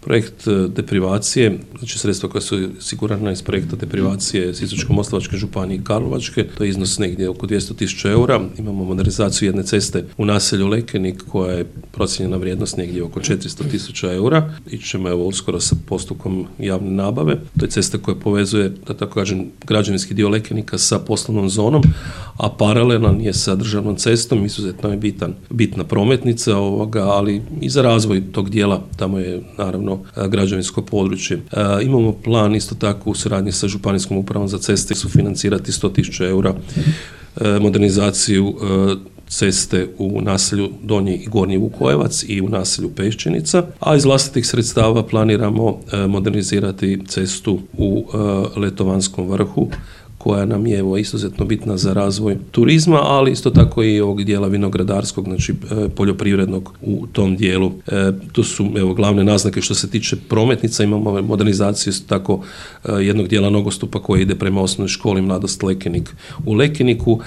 Projekt deprivacije, znači sredstva koja su osigurana iz projekta deprivacije Sisačko-moslavačke županije i Karlovačke, to je iznos negdje oko 200.000 eura. Imamo modernizaciju jedne ceste u naselju Lekenik koja je procijenjena vrijednost negdje oko 400.000 eura. Ićemo uskoro sa postupkom javne nabave. To je cesta koja povezuje, da tako kažem, građevinski dio Lekenika sa poslovnom zonom, a paralelan je sa državnom cestom, izuzetno je bitna prometnica ali i za razvoj tog dijela, tamo je naravno građevinsko područje. Imamo plan isto tako u suradnji sa Županijskom upravom za ceste sufinancirati 100.000 eura modernizaciju ceste u naselju Donji i Gornji Vukojevac i u naselju Peščenica, a iz vlastitih sredstava planiramo modernizirati cestu u Letovanskom vrhu, koja nam je izuzetno bitna za razvoj turizma, ali isto tako i ovog dijela vinogradarskog, znači poljoprivrednog u tom dijelu. To su glavne naznake što se tiče prometnica. Imamo modernizaciju isto tako jednog dijela nogostupa koji ide prema osnovnoj školi Mladost Lekenik u Lekeniku.